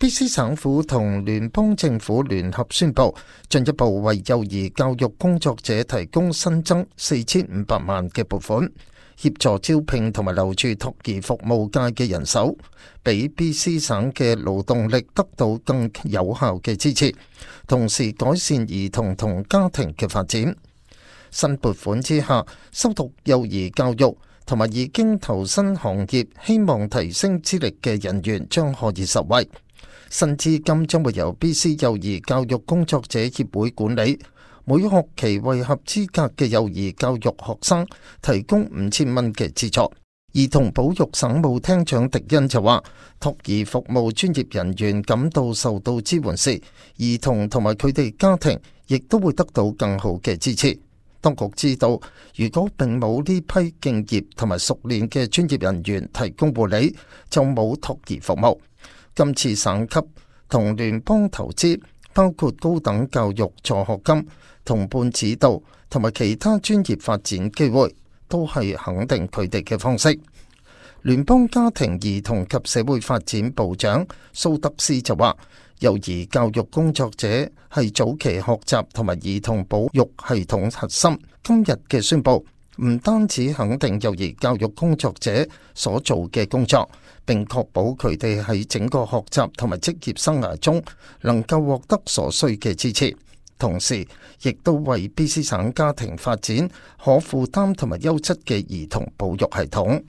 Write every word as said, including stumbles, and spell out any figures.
B C 省府同聯邦政府聯合宣布，進一步為幼兒教育工作者提供新增四千五百萬嘅撥款，協助招聘同埋留住托兒服務界嘅人手，俾 B C 省嘅勞動力得到更有效嘅支持，同時改善兒童同家庭嘅發展。新撥款之下，修讀幼兒教育同埋已經投身行業，希望提升資歷嘅人員將可以受惠。新資金將會由 B C 幼兒教育工作者協會管理，每學期為合資格嘅幼兒教育學生提供五千蚊嘅資助。兒童保育省務廳長迪恩就話，托兒服務專業人員感到受到支援時，兒童同埋佢哋家庭亦都會得到更好嘅支持。當局知道，如果並冇呢批敬業同埋熟練嘅專業人員提供護理，就冇托兒服務。今次省級同聯邦投資，包括高等教育助學金、同伴指導同埋其他專業發展機會，都係肯定佢哋嘅方式。聯邦家庭兒童及社會發展部長蘇德斯就話，幼兒教育工作者係早期學習同埋兒童保育系統核心。今日嘅宣佈唔單止肯定幼兒教育工作者所做嘅工作，並確保佢哋喺整個學習同埋職業生涯中能夠獲得所需嘅支持，同時亦都為 B C 省家庭發展可負擔同埋優質嘅兒童保育系統。